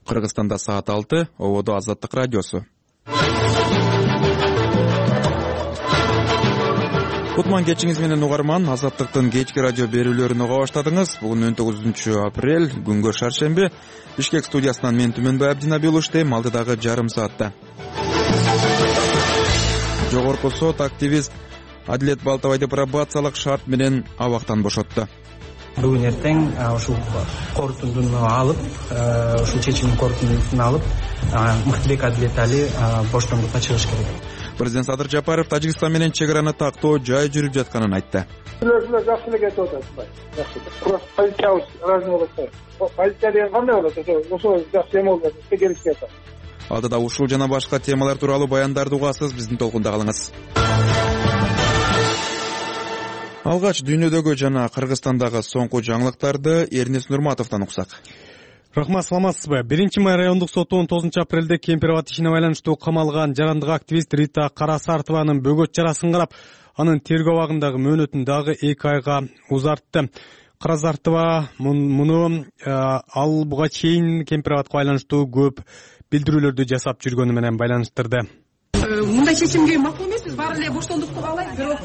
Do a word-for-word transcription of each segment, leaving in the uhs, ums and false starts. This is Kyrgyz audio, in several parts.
Кыргызстанда саат алты, ободо Азаттык радиосу. Кутман кечиңиз менен угарман, Азаттыктын кечки радио берүүлөрүн уга баштадыңыз. Бүгүн он тогузунчу апрель, күнгө шаршемби. Бишкек студиясынан мен Түмөнбай Абдинабил иштейм, алдыдагы жарым саатта. Жогорку сот активист Адилет Балтабайды пробациялык шарт менен абактан бошотту. Бүгүн эртең ушул корутундуну алып, ушул чечимдин корутундусун алып, Мыктыбек Адилет Али боштондукка чыгыш керек. Президент Садыр Жапаров Тажикстан менен чек араны тактоо жай жүрүп жатканын айтты. Сүйлөшүүлөр жакшы эле кетип атат. Жакшы. Просто полициябыз разный болот. Полиция деген кандай болот? Ошо жакшы эме болот. Келишип атат. Алдыда ушул жана башка темалар тууралуу баяндарды угасыз, биздин толкунда калыңыз. Алгач дүйнөдөгү жана Кыргызстандагы соңку жаңылыктарды Эрнес Нурматовдон уксак. Рахмат, саламатсызбы? биринчи май райондук соту он тогузунчу апрелде Кемпир-Абад ишине байланыштуу камалган жарандык активист Рита Карасартованын бөгөт жарасын карап, анын тергөө абагындагы мөөнөтүн дагы эки айга узартты. Карасартова муну ал буга чейин Кемпир-Абадка байланыштуу көп билдирүүлөрдү жасап жүргөнү менен байланыштырды. Мындай чечимге макул эмеспиз, баары эле боштондукту каалайт, бирок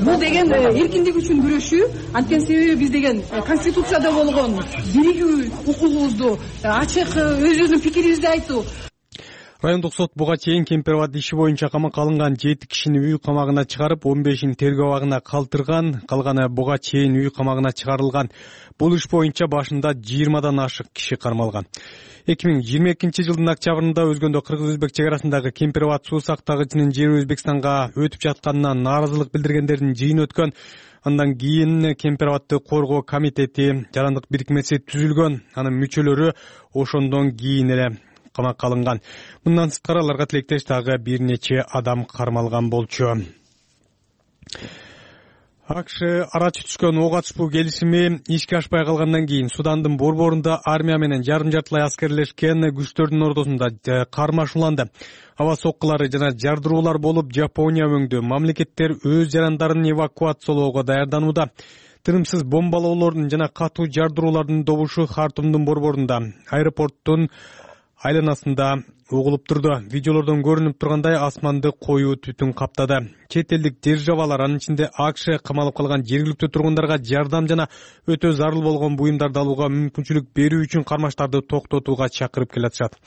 бул деген эркиндик үчүн күрөшүү. Анткени себеби биз деген конституцияда болгон биригүү укугубузду ачык өзүбүздүн пикирибизди айтуу. Райондук сот буга чейин Кемпир-Абад иши боюнча камакка алынган жети кишини үй камагына чыгарып, он бешин тергөө абагына калтырган, калганы буга чейин үй камагына чыгарылган. Бул иш боюнча башында жыйырмадан ашык киши кармалган. эки миң жыйырма экинчи жылдын октябрында өзгөндө кыргыз-өзбек чек арасындагы Кемпир-Абад суу сактагычынын жери Өзбекстанга өтүп жатканына нааразылык билдиргендердин жыйыны өткөн. Андан кийин Кемпир-Абадты коргоо комитети, жарандык бирикмеси түзүлгөн. Анын мүчөлөрү ошондон кийин эле камакка алынган. Мындан сырткары аларга тилектеш дагы бир нече адам кармалган болчу. АКШ ара түшкөн ок атышпуу келишими ишке ашпай калгандан кийин Судандын борборунда армия менен жарым жартылай аскерлешкен күчтөрдүн ортосунда кармашууланды. Аба соккулары жана жардыруулар болуп, Жапония өңдүү мамлекеттер өз жарандарын эвакуациялоого даярданууда. Тынымсыз бомбалоолордун жана катуу жардыруулардын добушу Хартумдун борборунда, аэропорттун айланасында угулуп турду. Видеолордон көрүнүп тургандай асманды коюу түтүн каптады. Чет элдик державалар, анын ичинде АКШ камалып калган жергиликтүү тургундарга жардам жана өтө зарыл болгон буюмдарды алууга мүмкүнчүлүк берүү үчүн кармаштарды токтотууга чакырып келатышат.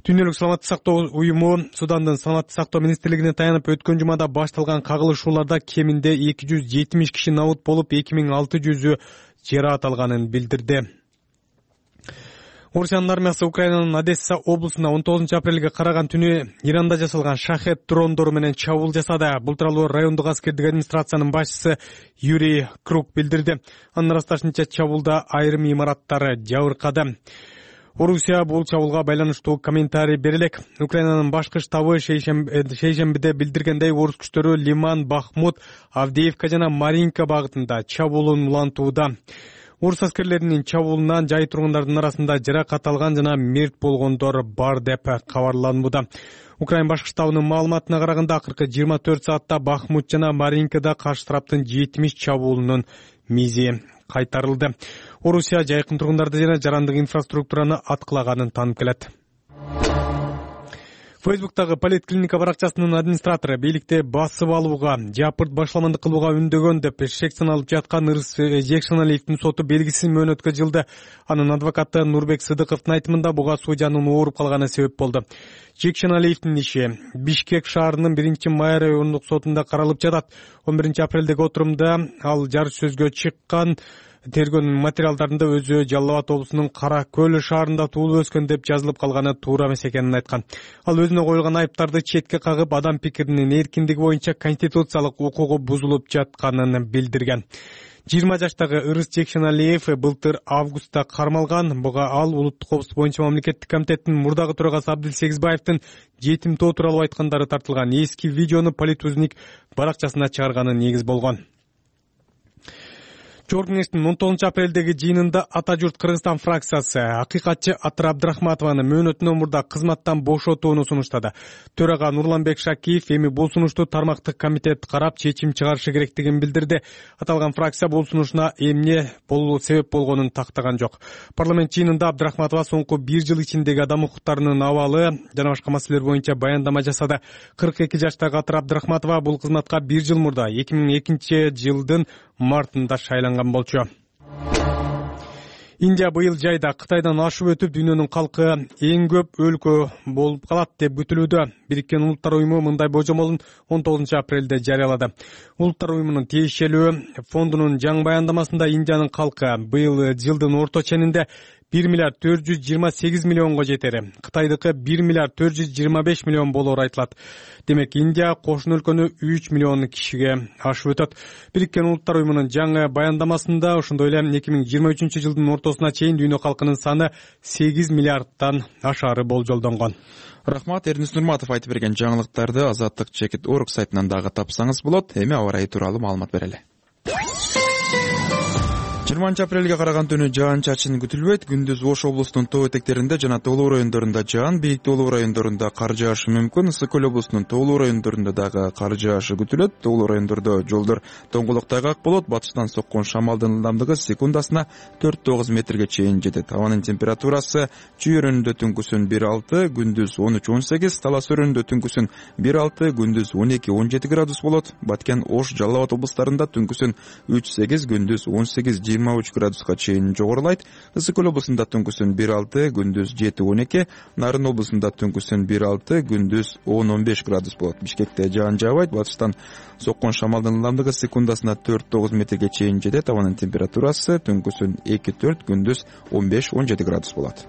Дүйнөлүк саламаттык сактоо уюму Судандын саламаттык сактоо министрлигине таянып, өткөн жумада башталган кагылышууларда кеминде эки жүз жетимиш киши набут болуп, эки миң алты жүзү жараат алганын билдирди. Орусиянын армиясы Украинанын Одесса облусуна он тогузунчу апрелге караган түнү Иранда жасалган шахет дрондору менен чабуул жасады. Бул тууралуу райондук аскердик администрациянын башчысы Юрий Круг билдирди. Анын ырасташынча чабуулда айрым имараттар жабыркады. Орусия бул чабуулга байланыштуу комментарий бере элек. Украинанын башкы штабы шейшембиде билдиргендей, орус күчтөрү Лиман, Бахмут, Авдеевка жана Маринка багытында чабуулун улантууда. Орус аскерлеринин чабуулунан жай тургундардын арасында жаракат алган жана мерт болгондор бар деп кабарланууда. Украин башкы штабынын маалыматына караганда, акыркы жыйырма төрт саатта Бахмут жана Маринкада каршы тараптын жетимиш чабуулунун мизи кайтарылды. Орусия жайкын тургундарды жана жарандык инфраструктураны аткылаганын таанып келет. Фейсбуктагы поликлиника баракчасынын администратору бийликти басып алууга, жапырт башламандык кылууга үндөгөн деп шектен алып жаткан Ырыс Жекшеналиевдин соту белгисиз мөөнөткө жылды. Анын адвокаты Нурбек Сыдыковдун айтымында буга судьянын ооруп калганы себеп болду. Жекшеналиевдин иши Бишкек шаарынын биринчи май райондук сотунда каралып жатат. он биринчи апрелдеги отурумда ал жарыш сөзгө чыккан. Тергөөнүн материалдарында өзү Жалал Абад облусунун Кара Көл шаарында туулуп өскөн деп жазылып калганы туура эмес экенин айткан. Ал өзүнө коюлган айыптарды четке кагып, адам пикиринин эркиндиги боюнча конституциялык укугу бузулуп жатканын билдирген. жыйырма жаштагы Ырыс Жекшеналиев былтыр августта кармалган. Буга ал улуттук коопсуздук боюнча мамлекеттик комитеттин мурдагы төрагасы Абдил Сегизбаевдин жетимтоо тууралуу айткандары тартылган эски видеону Политузник баракчасына чыгарганы негиз болгон. Жогорку кеңештин он тогузунчу апрелдеги жыйынында Ата журт Кыргызстан фракциясы акыйкатчы Атыр Абдрахматованы мөөнөтүнөн мурда кызматтан бошотууну сунуштады. Төрага Нурланбек Шакиев эми бул сунушту тармактык комитет карап чечим чыгарышы керектигин билдирди. Аталган фракция бул сунушуна эмне болуу себеп болгонун тактаган жок. Парламент жыйынында Абдрахматова соңку бир жыл ичиндеги адам укуктарынын абалы жана башка маселелер боюнча баяндама жасады. кырк эки жаштагы Атыр Абдрахматова бул кызматка бир жыл мурда эки миң экинчи жылдын мартында шайланган болчу. Индия быйыл жайда Кытайдан ашып өтүп дүйнөнүн калкы эң көп өлкө болуп калат деп күтүлүүдө. Бириккен Улуттар уюму мындай божомолун он тогузунчу апрелде жарыялады. Улуттар уюмунун тиешелүү фондунун жаңы баяндамасында Индиянын калкы быйыл жылдын орто ченинде бир миллиард төрт жүз жыйырма сегиз миллионго жетери, Кытайдыкы бир миллиард төрт жүз жыйырма беш миллион болоору айтылат. Демек Индия кошуна өлкөнү үч миллион кишиге ашып өтөт. Бириккен Улуттар уюмунун жаңы баяндамасында ошондой эле эки миң жыйырма үчүнчү жылдын ортосуна чейин дүйнө калкынын саны сегиз миллиардтан ашаары болжолдонгон. Рахмат, Эрнис Нурматов айтып берген жаңылыктарды Азаттык чекит орг сайтынан дагы тапсаңыз болот. Эми аба ырайы тууралуу маалымат берели. жыйырманчы апрелге караган түнү жаан-чачын күтүлбөйт. Күндүз Ош облусунун тоо этектеринде жана тоолуу райондорунда жаан, бийик тоолуу райондорунда кар жаашы мүмкүн. Ысык көл облусунун тоолуу райондорунда дагы кар жаашы күтүлөт. Тоолуу райондордо жолдор тоңголок тайгак болот. Батыштан соккон шамалдын ылдамдыгы секундасына төрт тогуз метрге чейин жетет. Абанын температурасы Чүй өрөөнүндө түнкүсүн бир алты, күндүз он үч он сегиз, Талас өрөөнүндө түнкүсүн бир алты, күндүз он эки он жети градус болот. Баткен, Ош, Жалал Абад облустарында түнкүсүн үч сегиз, күндүз он сегиз жыйырма үч градуска чейин жогорулайт. Ысык көл облусунда түнкүсүн бир алты, күндүз жети он эки, Нарын облусунда түнкүсүн бир алты, күндүз он он беш градус болот. Бишкекте жаан жаабайт. Батыштан соккон шамалдын ылдамдыгы секундасына төрт тогуз метрге чейин жетет. Абанын температурасы түнкүсүн эки төрт, күндүз он беш он жети градус болот.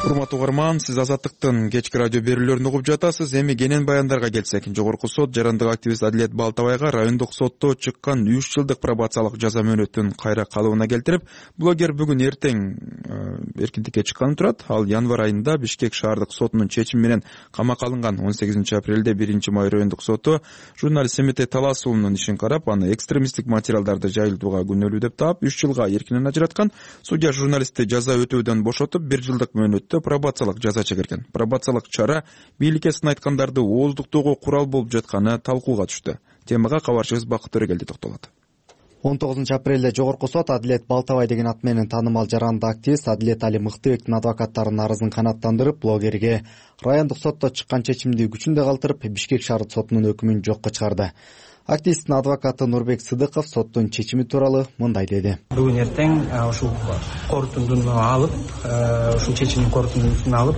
Урматтуу угарман, сиз Азаттыктын кечки радио берүүлөрүн угуп жатасыз. Эми кенен баяндарга келсек, Жогорку сот жарандык активист Адилет Балтабайга райондук сотто чыккан үч жылдык пробациялык жаза мөөнөтүн кайра калыбына келтирип, блогер бүгүн эртең эркиндикке чыкканы турат. Ал январь айында Бишкек шаардык сотунун чечими менен камакка алынган. он сегизинчи апрелде биринчи май райондук соту журналист Семетей Талас уулунун ишин карап, аны экстремисттик материалдарды жайылтууга күнөөлүү деп таап, үч жылга эркинен ажыраткан. Судья журналистти жаза өтөөдөн бошотуп, бир жылдык мөөнөт пробациялык жаза чегирген. Пробациялык чара бийликке сын айткандарды ооздуктоого курал болуп жатканы талкууга түштү. Темага кабарчыбыз Бакыт Төрөгелди токтолот. он тогузунчу апрелде Жогорку сот Адилет Балтабай деген ат менен таанымал жарандык активист Адилет Али Мыктыбектин адвокаттарынын арызын канааттандырып, блогерге райондук сотто чыккан чечимди күчүндө калтырып, Бишкек шаардык сотунун өкүмүн жокко чыгарды. Активисттин адвокаты Нурбек Сыдыков соттун чечими тууралуу мындай деди. Бүгүн эртең ушул корутундуну алып, ушул чечимдин корутундусун алып,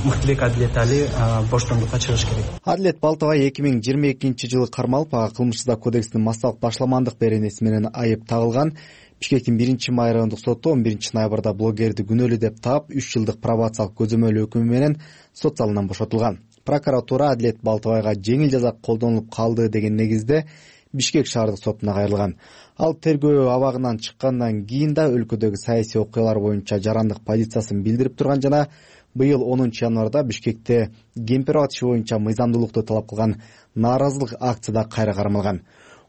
Мыктыбек Адилет Али боштондукка чыгыш керек. Адилет Балтабай эки миң жыйырма экинчи жылы кармалып, ага кылмыш кодекстин массалык башламандык беренеси менен айып тагылган. Бишкектин биринчи май райондук соту он биринчи ноябрда блогерди күнөөлүү деп таап, үч жылдык пробациялык көзөмөл өкүмү менен сот залынан бошотулган. Прокуратура Адилет Балтабайга жеңил жаза колдонулуп калды деген негизде Бишкек шаардык сотуна кайрылган. Ал тергөө абагынан чыккандан кийин да өлкөдөгү саясий окуялар боюнча жарандык позициясын билдирип турган жана быйыл онунчу январда Бишкекте кемпир атышы боюнча мыйзамдуулукту талап кылган нааразылык акцияда кайра кармалган.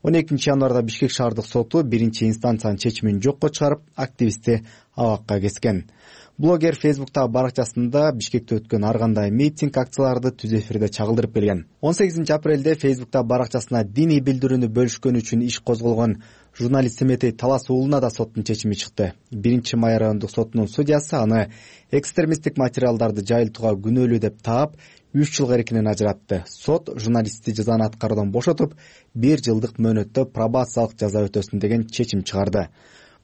он экинчи январда Бишкек шаардык соту биринчи инстанциянын чечимин жокко чыгарып, активистти абакка кескен. Блогер Фейсбуктагы баракчасында Бишкекте өткөн ар кандай митинг, акцияларды түз эфирде чагылдырып келген. он сегизинчи апрелде Фейсбуктагы баракчасына диний билдирүүнү бөлүшкөн үчүн иш козголгон журналист Семетей Талас уулуна да соттун чечими чыкты. биринчи май райондук сотунун судьясы аны экстремисттик материалдарды жайылтууга күнөөлүү деп таап, үч жылга эркинен ажыратты. Сот журналистти жазаны аткаруудан бошотуп, бир жылдык мөөнөттө пробациялык жаза өтөсүн деген чечим чыгарды.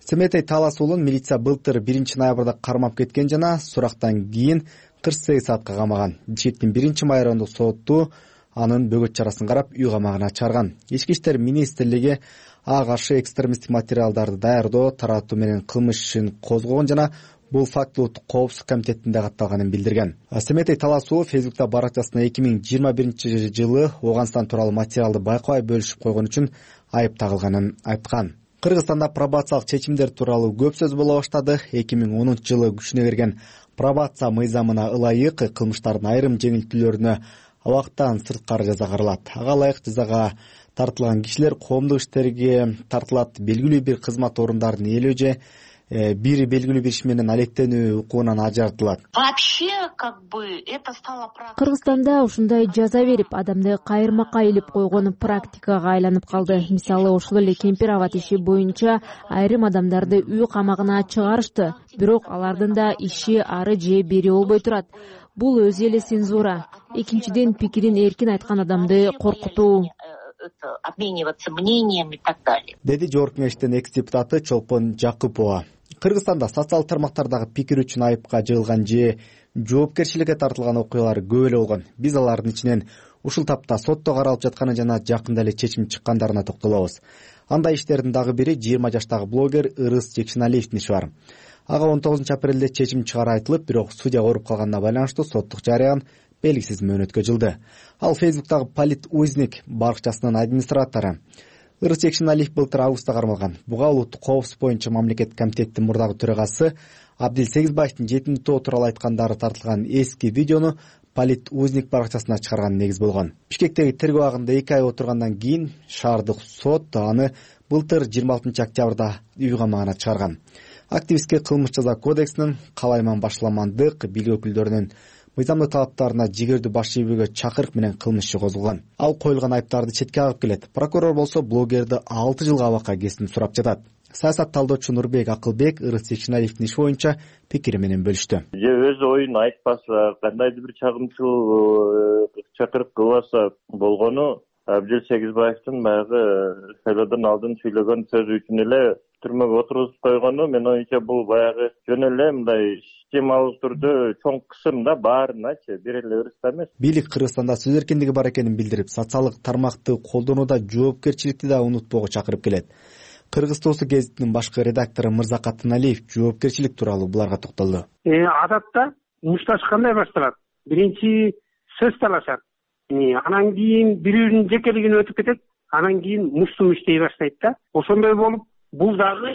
Семетей Талас уулун милиция былтыр биринчи ноябрда кармап кеткен жана сурактан кийин кырк сегиз саатка камаган. Бишкектин биринчи май райондук соту анын бөгөт чарасын карап, үй камагына чарган. Ички иштер министрлиги ага каршы экстремисттик материалдарды даярдоо, таратуу менен кылмыш ишин козгогон жана бул факт улуттук коопсуздук комитетинде катталганын билдирген. Семетей Талас уулу Фейсбукта баракчасына эки миң жыйырма биринчи жылы Ооганстан тууралуу материалды байкабай бөлүшүп койгон үчүн айып тагылганын айткан. Кыргызстанда пробациялык чечимдер тууралуу көп сөз боло баштады. эки миң онунчу жылы күчүнө кирген пробация мыйзамына ылайык кылмыштардын айрым жеңилтүүлөрүнө абактан сырткары жаза каралат. Ага ылайык жазага тартылган кишилер коомдук иштерге тартылат, белгилүү бир кызмат орундарын ээлөө же бир белгилүү бир иш менен алектенүү укугунан ажыратылат. Вообще, как бы, это стало практикой. Кыргызстанда ушундай жаза берип, адамды кайырмакка илип койгон практикага айланып калды. Мисалы, ошол эле кемпир абад иши боюнча айрым адамдарды үй камагына чыгарышты. Бирок алардын да иши ары же бери болбой турат. Бул өзү эле цензура. Экинчиден, пикирин эркин айткан адамды коркутуу. Обмениваться мнением и так далее. Деди Жогорку Кеңештин экс-депутаты Чолпон Жакупова. Кыргызстанда социалдык тармактардагы пикир үчүн айыпка жыгылган же жоопкерчиликке тартылган окуялар көп эле болгон. Биз алардын ичинен ушул тапта сотто каралып жатканы жана жакында эле чечим чыккандарына токтолобуз. Андай иштердин дагы бири жыйырма жаштагы блогер Ырыс Жекшеналиевдин иши бар. Ага он тогузунчу апрелде чечим чыгары айтылып, бирок судья ооруп калганына байланыштуу соттук жарыян белгисиз мөөнөткө жылды. Ал Фейсбуктагы Полит Узник баракчасынын администратору. Ырыс Жекшеналиев былтыр августта кармалган. Буга улуттук коопсуздук боюнча мамлекеттик комитеттин мурдагы төрагасы Абдил Сегизбаевдин жетинчи тоо тууралуу айткандары тартылган эски видеону Полит Узник баракчасына чыгарган негиз болгон. Бишкектеги тергөө абагында эки ай отургандан кийин шаардык сот аны былтыр жыйырма алтынчы октябрда үй камагына чыгарган. Активистке кылмыш жаза кодексинин калайман башламандык бийлик өкүлдөрүнүн мыйзамдык талаптарына жигердүү баш ийүүгө чакырык менен кылмыш иши козголгон. Ал коюлган айыптарды четке агып келет. Прокурор болсо блогерди алты жылга абакка кесин сурап жатат. Саясат талдоочу Нурбек Акылбек Ырыс Жекшеналиевдин иши боюнча пикири менен бөлүштү. Же өз оюн айтпаса, кандайдыр бир чагымчыл чакырып кылбаса болгону Абдил Сегизбаевдин баягы шайлоодон алдын сүйлөгөн сөзү үчүн эле түрмөгө отургузуп койгону мен оюмча бул баягы жөн эле мындай системалык түрдө чоң кысымда баарыначы бир эле ырыста эмес. Бийлик Кыргызстанда сөз эркиндиги бар экенин билдирип, социалдык тармакты колдонууда жоопкерчиликти да унутпоого чакырып келет. Кыргыз Тоосу гезитинин башкы редактору Мырза Катыналиев жоопкерчилик тууралуу буларга токтолду. Адатта мушташ кандай башталат? Биринчи сөз талашат. Анан кийин бирөөнүн жекелигине өтүп кетет, анан кийин муштум иштей баштайт да. Ошондой болуп, бул дагы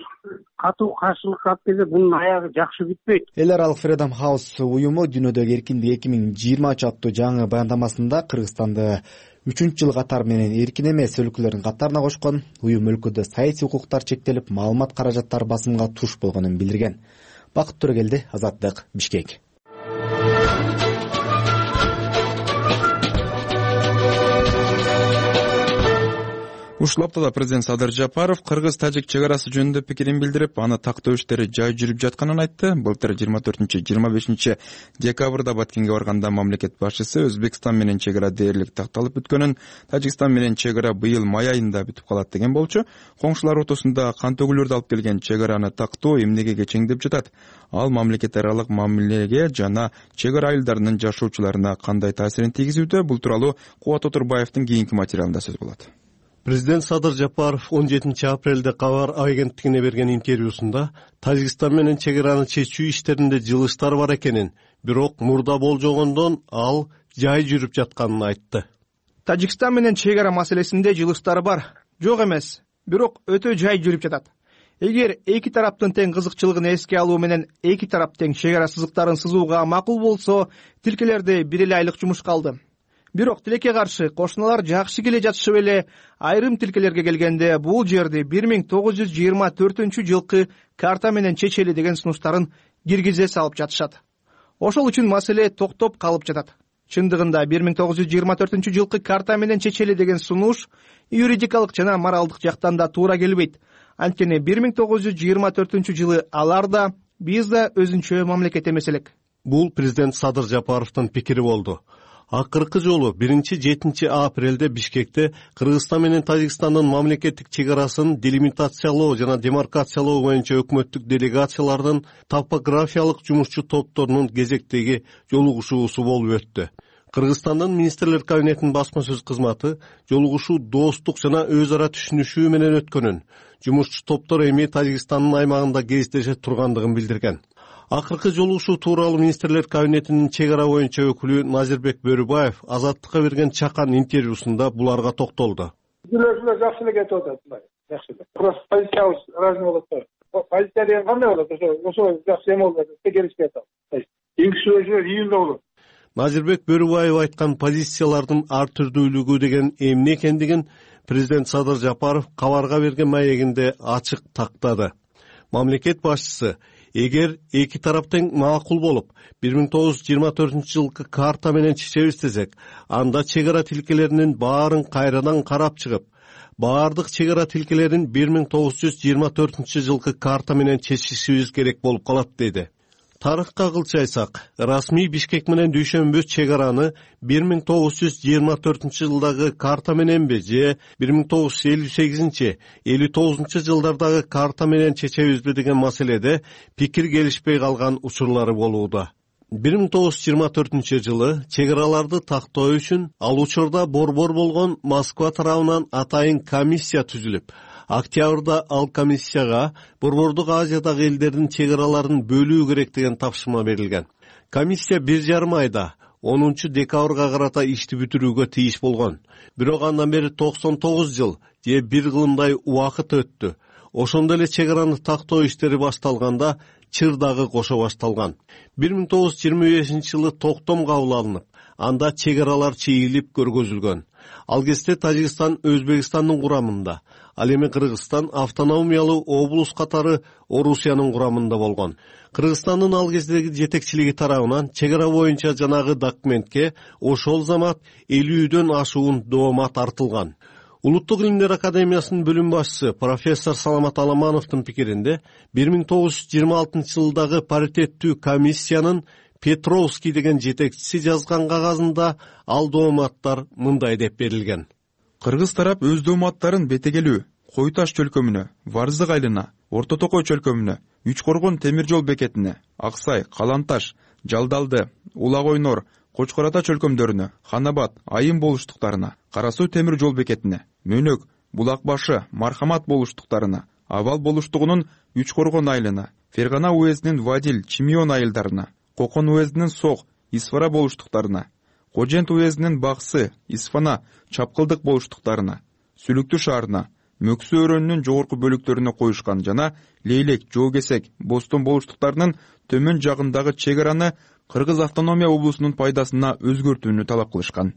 катуу каршылыкка алып келсе, бунун аягы жакшы бүтпөйт. Эл аралык Freedom House уюму дүйнөдөгү эркиндик эки миң жыйырмачы аттуу жаңы баяндамасында Кыргызстанды үчүнчү жыл катар менен эркин эмес өлкөлөрдүн катарына кошкон. Уюм өлкөдө саясий укуктар чектелип, маалымат каражаттары басымга туш болгонун билдирген. Бакыт Төрөгелди, Азаттык, Бишкек. Ушул аптада президент Садыр Жапаров кыргыз-тажик чек арасы жөнүндө пикирин билдирип, аны тактоо иштери жай жүрүп жатканын айтты. Былтыр жыйырма төртүнчү жыйырма бешинчи декабрда Баткенге барганда мамлекет башчысы Өзбекстан менен чек ара дээрлик такталып бүткөнүн, Тажикстан менен чек ара быйыл май айында бүтүп калат деген болчу. Коңшулар ортосунда кан төгүлөрдү алып келген чек араны тактоо эмнеге кечеңдеп жатат? Ал мамлекет аралык мамилеге жана чек ара айылдарынын жашоочуларына кандай таасирин тийгизүүдө? Бул тууралуу Кубат Отурбаевдин кийинки материалында сөз болот. Президент Садыр Жапаров он жетинчи апрелде Кабар агенттигине берген интервьюсунда Тажикстан менен чек араны чечүү иштеринде жылыштар бар экенин, бирок мурда болжогондон ал жай жүрүп жатканын айтты. Тажикстан менен чек ара маселесинде жылыштар бар, жок эмес, бирок өтө жай жүрүп жатат. Эгер эки тараптын тең кызыкчылыгын эске алуу менен эки тарап тең чек ара сызыктарын сызууга макул болсо, тилкелерди бир эле айлык жумушка алды. Бирок тилекке каршы кошуналар жакшы келе жатышып эле айрым тилкелерге келгенде бул жерди бир миң тогуз жүз жыйырма төртүнчү жылкы карта менен чечели деген сунуштарын киргизе салып жатышат. Ошол үчүн маселе токтоп калып жатат. Чындыгында бир миң тогуз жүз жыйырма төртүнчү жылкы карта менен чечели деген сунуш юридикалык жана моралдык жактан да туура келбейт. Анткени бир миң тогуз жүз жыйырма төртүнчү жылы алар да биз да өзүнчө мамлекет эмес элек. Бул президент Садыр Жапаровдун пикири болду. Акыркы жолу биринчи жетинчи апрелде Бишкекте Кыргызстан менен Тажикстандын мамлекеттик чек арасын делимитациялоо жана демаркациялоо боюнча өкмөттүк делегациялардын топографиялык жумушчу топторунун кезектеги жолугушуусу болуп өттү. Кыргызстандын министрлер кабинетинин басма сөз кызматы жолугушуу достук жана өз ара түшүнүшүү менен өткөнүн, жумушчу топтор эми Тажикстандын аймагында кездеше тургандыгын билдирген. Акыркы жолугушуу тууралуу министрлер кабинетинин чек ара боюнча өкүлү Назирбек Бөрүбаев Азаттыкка берген чакан интервьюсунда буларга токтолду. Жүрөшүлөр жакшы эле кетип атат, жакшы эле. Просто позициябыз разный болот да. Позиция деген кандай болот? Ошо ошо жакшы эме болот, текеришпей атат. Ингишүүлөр июнда болот. Назирбек Бөрүбаев айткан позициялардын ар түрдүүлүгү деген эмне экендигин президент Садыр Жапаров кабарга берген маегинде ачык тактады. Мамлекет башчысы эгер эки тарап тең макул болуп, бир миң тогуз жүз жыйырма төртүнчү жылкы карта менен чечебиз десек, анда чек ара тилкелеринин баарын кайрадан карап чыгып, баардык чек ара тилкелерин бир миң тогуз жүз жыйырма төртүнчү жылкы карта менен чечишибиз керек болуп калат деди. Тарыхка кылчайсак, расмий Бишкек менен Дүйшөмбү чек араны бир миң тогуз жүз жыйырма төртүнчү жылдагы карта мененби же бир миң тогуз жүз элүү сегизинчи элүү тогузунчу жылдардагы карта менен чечебизби деген маселеде пикир келишпей калган учурлары болууда. бир миң тогуз жүз жыйырма төртүнчү жылы чек араларды тактоо үчүн ал учурда борбор болгон Москва тарабынан атайын комиссия түзүлүп, октябрда ал комиссияга Борбордук Азиядагы элдердин чек араларын бөлүү керек деген тапшырма берилген. Комиссия бир жарым айда онунчу декабрга карата ишти бүтүрүүгө тийиш болгон. Бирок андан бери токсон тогуз жыл же бир кылымдай убакыт өттү. Ошондо эле чек араны тактоо иштери башталганда чыр дагы кошо башталган. бир миң тогуз жүз жыйырма бешинчи жылы токтом кабыл алынып, анда чек аралар чегилип көргөзүлгөн. Ал кезде Тажикстан Өзбекстандын курамында, ал эми Кыргызстан автономиялуу облус катары Орусиянын курамында болгон. Кыргызстандын ал кездеги жетекчилиги тарабынан чек ара боюнча жанагы документке ошол замат элүүдөн ашуун доомат артылган. Улуттук илимдер академиясынын бөлүм башчысы профессор Саламат Аламановдун пикиринде бир миң тогуз жүз жыйырма алтынчы жылдагы паритеттүү комиссиянын Петровский деген жетекчиси жазган кагазында ал дооматтар мындай деп берилген. Кыргыз тарап өз дооматтарын Бетегелүү, Кой Таш чөлкөмүнө, Варзык айылына, Орто Токой чөлкөмүнө, Үч Коргон темир жол бекетине, Аксай, Каланташ, Жалдалды, Улак Ойнор, Кочкор Ата чөлкөмдөрүнө, Ханабат, Айым болуштуктарына, Кара Суу темир жол бекетине, Мөнөк, Булак башы, Мархамат болуштуктарына, Абал болуштугунун Үч Коргон айылына, Фергана уездинин Вадил, Чимион айылдарына, Кокон уездинин Сок, Исфара болуштуктарына, Кожент уездинин Баксы, Исфана, Чапкылдык болуштуктарына, Сүлүктүү шаарына, Мөксү өрөөнүнүн жогорку бөлүктөрүнө коюшкан жана Лейлек, Жоокесек, Бостон болуштуктарынын төмөн жагындагы чек араны Кыргыз автономия облусунун пайдасына өзгөртүүнү талап кылышкан.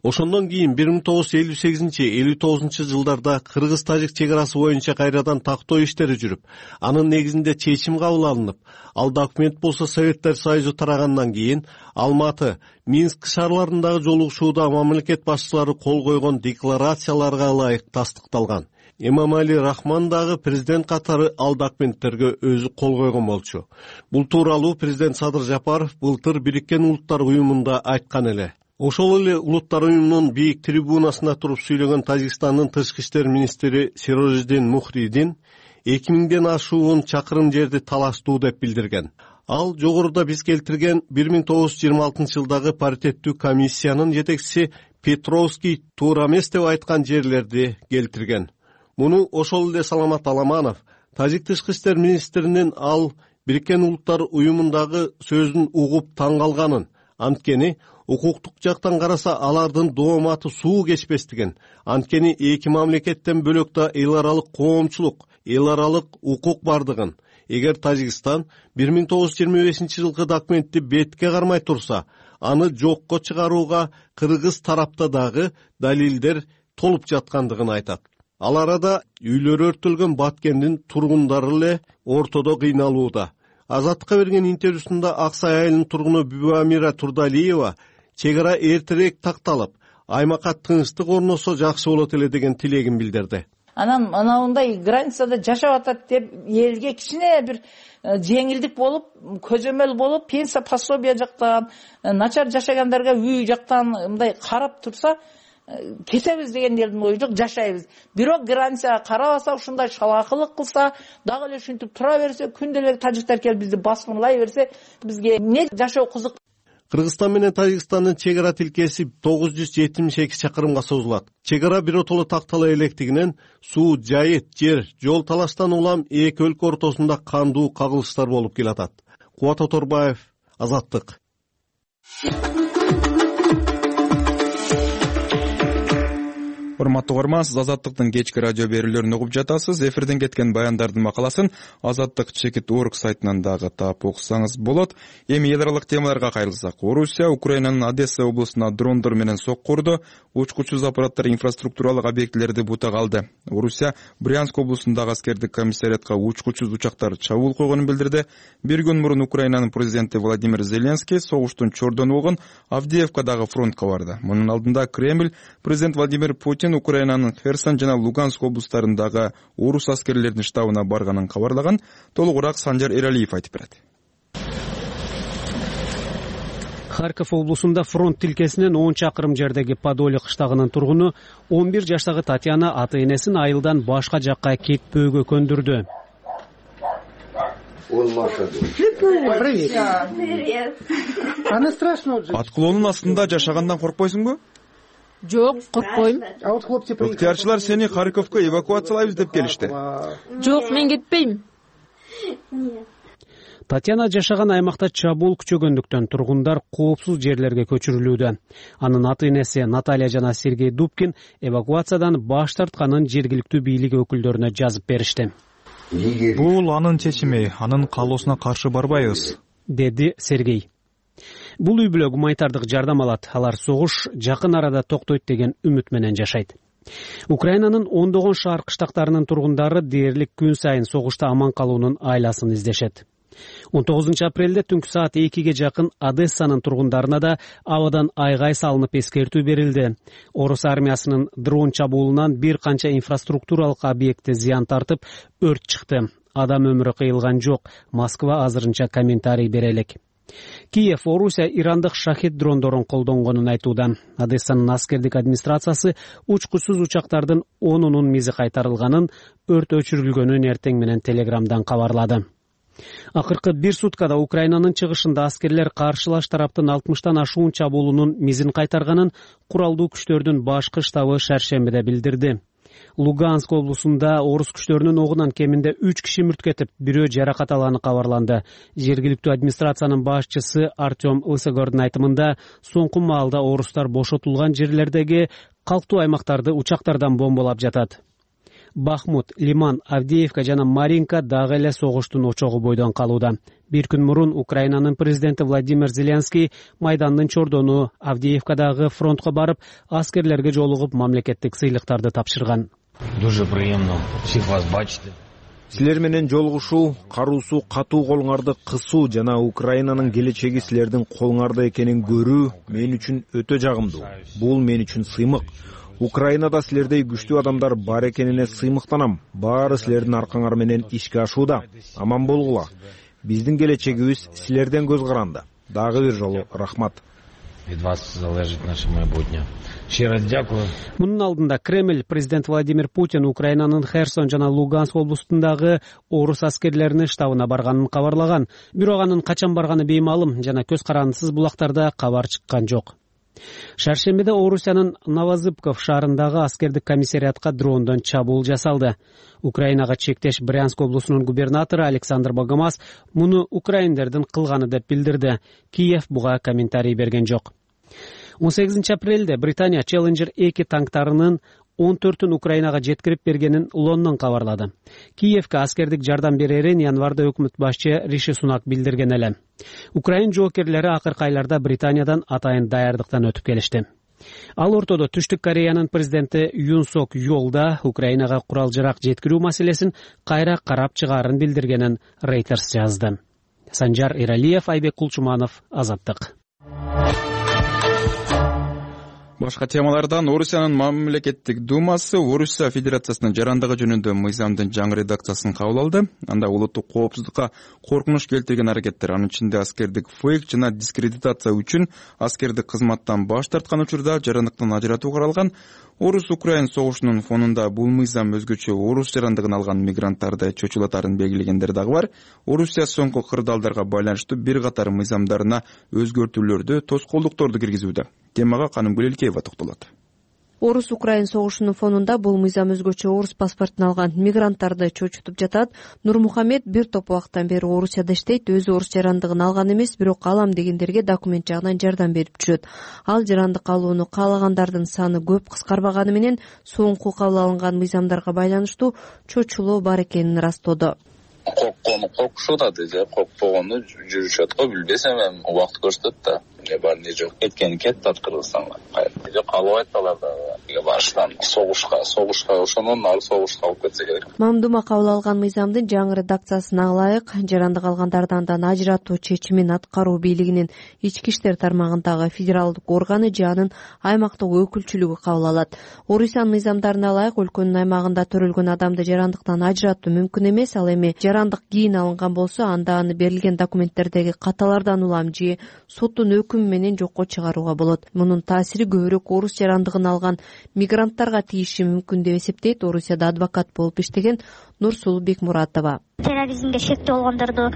Ошондон кийин бир миң тогуз жүз элүү сегизинчи элүү тогузунчу жылдарда Кыргыз-Тажик чек арасы боюнча кайрадан тактоо иштери жүрүп, анын негизинде чечим кабыл алынып, ал документ болсо Советтер Союзу тарагандан кийин Алматы, Минск шаарларындагы жолугушууда мамлекет башчылары кол койгон декларацияларга ылайык тастыкталган. Эмомали Рахман дагы президент катары ал документтерге өзү кол койгон болчу. Бул тууралуу президент Садыр Жапаров былтыр Бириккен Улуттар уюмунда айткан эле. Ошол эле Улуттар уюмунун бийик трибунасында туруп сүйлөгөн Тажикстандын тышкы иштер министри Сирожиддин Мухридин эки миңден ашуун чакырым жерди талаштуу деп билдирген. Ал жогоруда биз келтирген бир миң тогуз жүз жыйырма алтынчы жылдагы паритеттүү комиссиянын жетекчиси Петровский туура эмес деп айткан жерлерди келтирген. Муну ошол эле Саламат Аламанов, Тажик тышкы иштер министринин ал Бириккен Улуттар уюмундагы сөзүн угуп таң калганын, анткени укуктук жактан караса алардын дооматы суу кечпестигин, анткени эки мамлекеттен бөлөк да эл аралык коомчулук, эл аралык укук бардыгын, эгер Тажикстан бир миң тогуз жүз жыйырма бешинчи жылкы документти бетке кармай турса, аны жокко чыгарууга кыргыз тарапта дагы далилдер толуп жаткандыгын айтат. Ал арада үйлөрү өртөлгөн Баткендин тургундары эле ортодо кыйналууда. Азаттыкка берген интервьюсунда Аксай айылынын тургуну Бүбамира Турдалиева чек ара эртерээк такталып, аймакка тынчтык орносо жакшы болот эле деген тилегин билдирди. Анан анандай границада жашап атат деп элге кичине бир жеңилдик болуп, көзөмөл болуп, пенсия пособие жактан, начар жашагандарга үй жактан мындай карап турса, кесебиз деген элдин ою жок, жашайбыз. Бирок границага карабаса, ушундай шалаакылык кылса, дагы эле ушинтип тура берсе, күнделик тажиктер келип бизди баскынлай берсе, бизге эмне жашоо кызык. Кыргызстан менен Тажикстандын чек ара тилкеси тогуз жүз жетимиш эки чакырымга созулат. Чек ара биротоло тактала электигинен суу, жайыт, жер, жол талаштан улам эки өлкө ортосунда кандуу кагылыштар болуп келатат. Кубат Оторбаев, Азаттык. урматтуу угарман, сиз Азаттыктын кечки радио берүүлөрүн угуп жатасыз. Эфирден кеткен баяндардын макаласын Азаттык чекит орг сайтынан дагы таап окусаңыз болот. Эми эл аралык темаларга кайрылсак, Орусия Украинанын Одесса облусуна дрондор менен сокку урду, учкучсуз аппараттар инфраструктуралык объектилерди бутага алды. Орусия Брянск облусундагы аскердик комиссариатка учкучсуз учактар чабуул койгонун билдирди. Бир күн мурун Украинанын президенти Владимир Зеленский согуштун чордону болгон Авдеевкадагы фронтко барды. Мунун алдында Кремль президент Владимир Путин Украинанын Херсон жана Луганск облустарындагы орус аскерлеринин штабына барганын кабарлаган. Толугураак Санжар Эралиев айтып берет. Харьков облусунда фронт тилкесинен он чакырым жердеги Подоле кыштагынын тургуну он бир жаштагы Татьяна ата энесин айылдан башка жакка кетпөөгө көндүрдү. Аткылоонун астында жашагандан коркпойсуңбу? Жок, коркпойм. Ыктыярчылар сени Харьковко эвакуациялайбыз деп келишти. Жок, мен кетпейм. Татьяна жашаган аймакта чабуул күчөгөндүктөн тургундар коопсуз жерлерге көчүрүлүүдө. Анын ата энеси Наталья жана Сергей Дубкин эвакуациядан баш тартканын жергиликтүү бийлик өкүлдөрүнө жазып беришти. Бул анын чечими, анын каалоосуна каршы барбайбыз, деди Сергей. Бул үй бүлө гуманитардык жардам алат. Алар согуш жакын арада токтойт деген үмүт менен жашайт. Украинанын ондогон шаар кыштактарынын тургундары дээрлик күн сайын согушта аман калуунун айласын издешет. он тогузунчу апрелде түнкү саат экиге жакын Одессанын тургундарына да абадан айгай салынып эскертүү берилди. Орус армиясынын дрон чабуулунан бир канча инфраструктуралык объекти зыян тартып, өрт чыкты. Адам өмүрү кыйылган жок. Москва азырынча комментарий бере элек. Киев Орусия ирандык шахид дрондорун колдонгонун айтууда. Одессанын аскердик администрациясы учкучсуз учактардын онунун мизи кайтарылганын, өрт өчүрүлгөнүн эртең менен Телеграмдан кабарлады. Акыркы бир суткада Украинанын чыгышында аскерлер каршылаш тараптын алтымыштан ашуун чабуулунун мизин кайтарганын куралдуу күчтөрдүн башкы штабы шаршембиде билдирди. Луганск облусунда орус күчтөрүнүн огунан кеминде үч киши мүрт кетип, бирөө жаракат алганы кабарланды. Жергиликтүү администрациянын башчысы Артем Лысогордун айтымында, соңку маалда орустар бошотулган жерлердеги калктуу аймактарды учактардан бомбалап жатат. Бахмут, Лиман, Авдеевка жана Маринка дагы эле согуштун очогу бойдон калууда. Бир күн мурун Украинанын президенти Владимир Зеленский Майдандын чордону Авдеевкадагы фронтко барып, аскерлерге жолугуп мамлекеттик сыйлыктарды тапшырган. Дуже приемно всех вас бачити. Силер менен жолугушуу, каруусу катуу колуңарды кысуу жана Украинанын келечеги силердин колуңарда экенин көрүү мен үчүн өтө жагымдуу. Бул мен үчүн сыймык. Украинада силердей күчтүү адамдар бар экенине сыймыктанам. Баары силердин аркаңар менен ишке ашууда. Аман болгула. Биздин келечегибиз силерден көз каранды. Дагы бир жолу рахмат. Від вас залежить наше майбутнє. Щиро дякую. Мунун алдында Кремль президент Владимир Путин Украинанын Херсон жана Луганск облустундагы орус аскерлеринин штабына барганын кабарлаган. Бирок анын качан барганы беймалым жана көз карандысыз булактарда кабар чыккан жок. Шаршембиде Орусиянын Новозыбков шаарындагы аскердик комиссариатка дрондон чабуул жасалды. Украинага чектеш Брянск облусунун губернатору Александр Богомаз муну украиндердин кылганы деп билдирди. Киев буга комментарий берген жок. он сегизинчи апрелде Британия Challenger эки танктарынын он төртүн Украинага жеткирип бергенин Лондон кабарлады. Киевке аскердик жардам берерин январда өкмөт башчы Риши Сунак билдирген эле. Украин жоокерлери акыркы айларда Британиядан атайын даярдыктан өтүп келишти. Ал ортодо Түштүк Кореянын президенти Юн Сок Йолда Украинага курал-жарак жеткирүү маселесин кайра карап чыгаарын билдиргенин Reuters жазды. Санжар Эралиев, Айбек Кулчуманов, Азаттык. Башка темалардан Орусиянын мамлекеттик думасы Орусия Федерациясынын жарандыгы жөнүндө мыйзамдын жаңы редакциясын кабыл алды. Анда улуттук коопсуздукка коркунуч келтирген аракеттер, анын ичинде аскердик фейк жана дискредитация үчүн аскердик кызматтан баш тарткан учурда жарандыктан ажыратуу каралган. Орус-Украин согушунун фонунда бул мыйзам өзгөчө орус жарандыгын алган мигранттарды чочулатарын белгилегендер дагы бар. Орусия соңку кырдаалдарга байланыштуу бир катар мыйзамдарына өзгөртүүлөрдү, тоскоолдукторду киргизүүдө. Темага Канымгүл Элкеева токтолот. Орус Украин согушунун фонунда бул мыйзам өзгөчө орус паспортун алган мигранттарды чочутуп жатат. Нурмухамед бир топ убакыттан бери Орусияда иштейт, өзү орус жарандыгын алган эмес, бирок алам дегендерге документ жагынан жардам берип жүрөт. Ал жарандык алууну каалагандардын саны көп кыскарбаганы менен соңку кабыл алынган мыйзамдарга байланыштуу чочулоо бар экенин ырастоодо. Корккону коркушуп атат, же коркпогону жүрүшөт го, билбесем эми убакыт көрсөтөт да. Не бар не жок. Кеткени кетти ат Кыргызстанга. Жок калбайт алар да баштан согушка, согушка ошонун ары согушка алып кетсе керек. Мамдума кабыл алган мыйзамдын жаңы редакциясына ылайык жарандык алгандарды андан ажыратуу чечимин аткаруу бийлигинин ички иштер тармагындагы федералдык органы же анын аймактык өкүлчүлүгү кабыл алат. Орусиянын мыйзамдарына ылайык өлкөнүн аймагында төрөлгөн адамды жарандыктан ажыратуу мүмкүн эмес. Ал эми жарандык кийин алынган болсо, анда аны берилген документтердеги каталардан улам же соттун өкүмү менен жокко чыгарууга болот. Мунун таасири көбүрөөк орус жарандыгын алган мигранттарга тийиши мүмкүн деп эсептейт Орусияда адвокат болуп иштеген Нурсулу Бекмуратова. Терроризмге шектүү болгондорду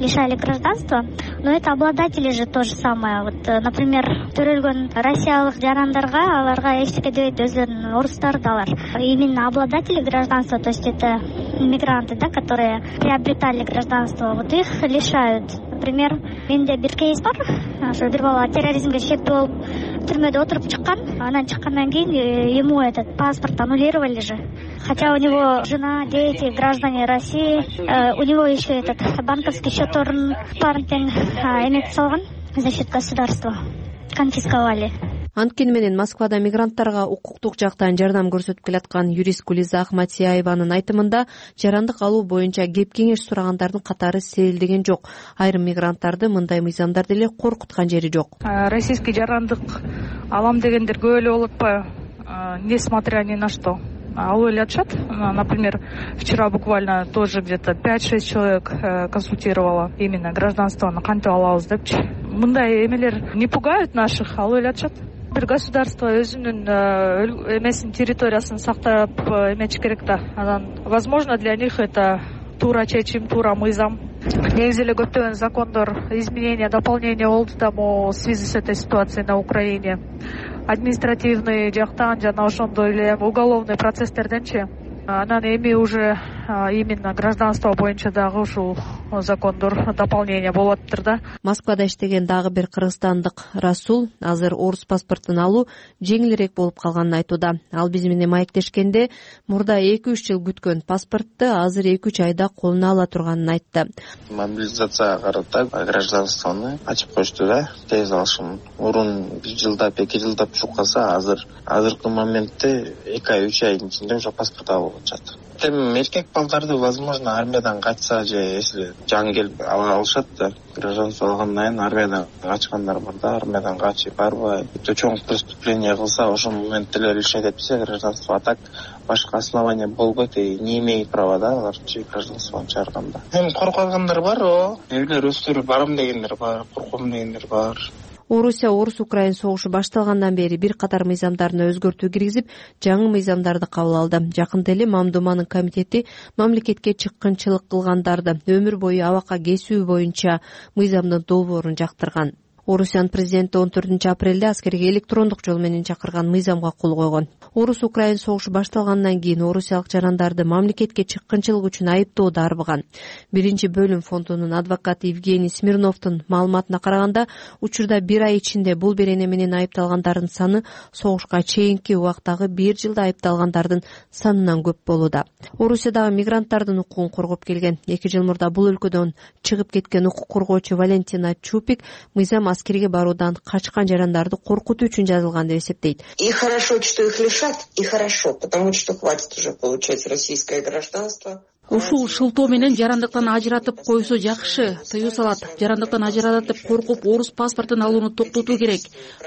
лишали гражданства, но это обладатели же то же самое. Вот, например, төрөлгөн россиялык жарандарга аларга эчтеке дебейт, өзлөрүнүн орустары да алар. Именно обладатели гражданства, то есть это мигранты, да, которые приобретали гражданство, вот их лишают. Например, менде бир кейс бар, ошо бир бала терроризмге шектүү болуп түрмөдө отуруп чыккан, анан чыккандан кийин ему этот паспорт аннулировали же. Хотя у него жена, дети, граждане России, у него еще этот банковский счетторун баарын тең эметип салган за счет государства, конфисковали. Анткени менен Москвада мигранттарга укуктук жактан жардам көрсөтүп келаткан юрист Гулиза Ахматияеванын айтымында жарандык алуу боюнча кеп кеңеш сурагандардын катары сейилдеген жок. Айрым мигранттарды мындай мыйзамдар деле коркуткан жери жок. Российский жарандык алам дегендер көп эле болуп атпайбы, несмотря ни на что. Алып эле атышат. Например, вчера буквально тоже где-то пять-шесть человек консультировала именно гражданствону кантип алабыз депчи. Мындай эмелер не пугают наших, алып эле атышат. Бир государство өзүнүн эмесин, территориясын сактап эметиш керек да. Анан, возможно, для них это туура чечим, туура мыйзам. Негизи эле көптөгөн закондор изменения, дополнения болду да в связи с этой ситуацией на Украине. Административный жактан жана ошондой эле уголовный процесстерденчи. Анан эми уже именно гражданство боюнча дагы ушул закондор дополнение болуп атыптыр да. Москвада иштеген дагы бир кыргызстандык Расул азыр орус паспортун алуу жеңилирээк болуп калганын айтууда. Ал биз менен маектешкенде мурда эки-үч жыл күткөн паспортту азыр эки-үч айда колуна ала турганын айтты. Мобилизацияга карата гражданствону ачып коюшту да, тез алышым. Мурун бир жылдап, эки жылдап жүрүп калса, азыр азыркы моментте эки ай, үч айдын ичинде уже паспорт алып атышат. Тем эркек балдарды, возможно, армиядан качса же если жаңы келип ала алышат да, гражданство алгандан кийин армиядан качкандар бар да, армиядан качып барбай, чоң преступление кылса, ошол моментте эле лишать этсе гражданство, а так башка основания болбойт и не имеет права да алар гражданствону чыгарганда. Эми корккандар бар, о, элер өздөрү барам дегендер бар, корком дегендер бар. Орусия Орус-Украин согушу башталгандан бери бир катар мыйзамдарына өзгөртүү киргизип, жаңы мыйзамдарды кабыл алды. Жакында эле Мамдуманын комитети мамлекетке чыккынчылык кылгандарды өмүр бою абакка кесүү боюнча мыйзамдын долбоорун жактырган. Орусиянын президенти он төртүнчү апрелде аскерге электрондук жол менен чакырган мыйзамга кол койгон. Орус-Украин согушу башталгандан кийин орусиялык жарандарды мамлекетке чыккынчылык үчүн айыптоодо арбыган. Биринчи бөлүм фондунун адвокаты Евгений Смирновдун маалыматына караганда, учурда бир ай ичинде бул берене менен айыпталгандардын саны согушка чейинки убактагы бир жылда айыпталгандардын санынан көп болууда. Орусиядагы мигранттардын укугун коргоп келген. эки жыл мурда бул өлкөдөн чыгып кеткен укук коргоочу Валентина Чупик мыйзам аскерге баруудан качкан жарандарды коркутуу үчүн жазылган деп эсептейт. И хорошо, что их лишат, и хорошо, потому что хватит уже получать российское гражданство. Ушул шылтоо менен жарандыктан ажыратып койсо жакшы, тыюу салат. Жарандыктан ажыратып коркуп орус паспортун алууну токтотуу керек.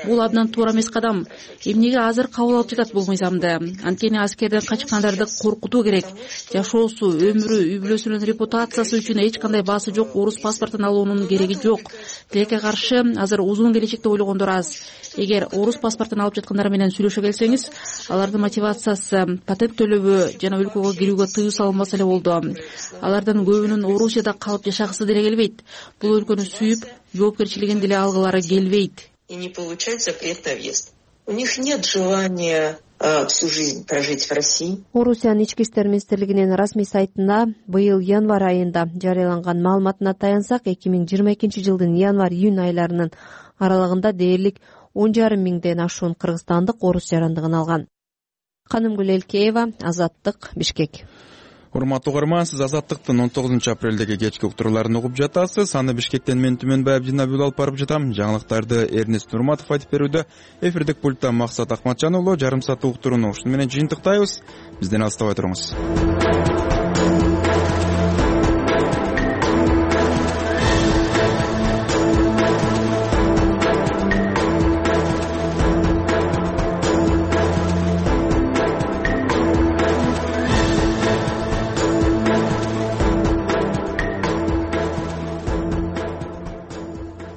Бул абдан туура эмес кадам. Эмнеге азыр кабыл алып жатат бул мыйзамды? Анткени аскерден качкандарды коркутуу керек. Жашоосу, өмүрү, үй бүлөсүнүн репутациясы үчүн эч кандай баасы жок орус паспортун алуунун кереги жок. Тилекке каршы азыр узун келечекти ойлогондор аз. Эгер орус паспортун алып жаткандар менен сүйлөшө келсеңиз, алардын мотивациясы патент төлөбү жана өлкөгө кирүүгө тыюу салынбаса эле болду. Алардын көбүнүн Орусияда калып жашагысы деле келбейт. Бул өлкөнү сүйүп, жоопкерчилигин деле алгылары келбейт. И не получать запрет на въезд. У них нет желания всю жизнь прожить в России. Орусиянын ички иштер министрлигинин расмий сайтында быйыл январь айында жарыяланган маалыматына таянсак, эки миң жыйырма экинчи жылдын январь-июнь айларынын аралыгында дээрлик он жарым миңден ашуун кыргызстандык орус жарандыгын алган. Канымгүл Элкеева, Азаттык, Бишкек. Урматтуу угарман, сиз Азаттыктын он тогузунчу апрелдеги кечки уктурууларын угуп жатасыз. Аны Бишкектен мен Түмөнбай Абдинабил алып барып жатам. Жаңылыктарды Эрнест Нурматов айтып берүүдө. Эфирдик пультта Максат Акматжан уулу. Жарым сааттык уктурууну ушуну менен жыйынтыктайбыз. Бизден алыстабай туруңуз.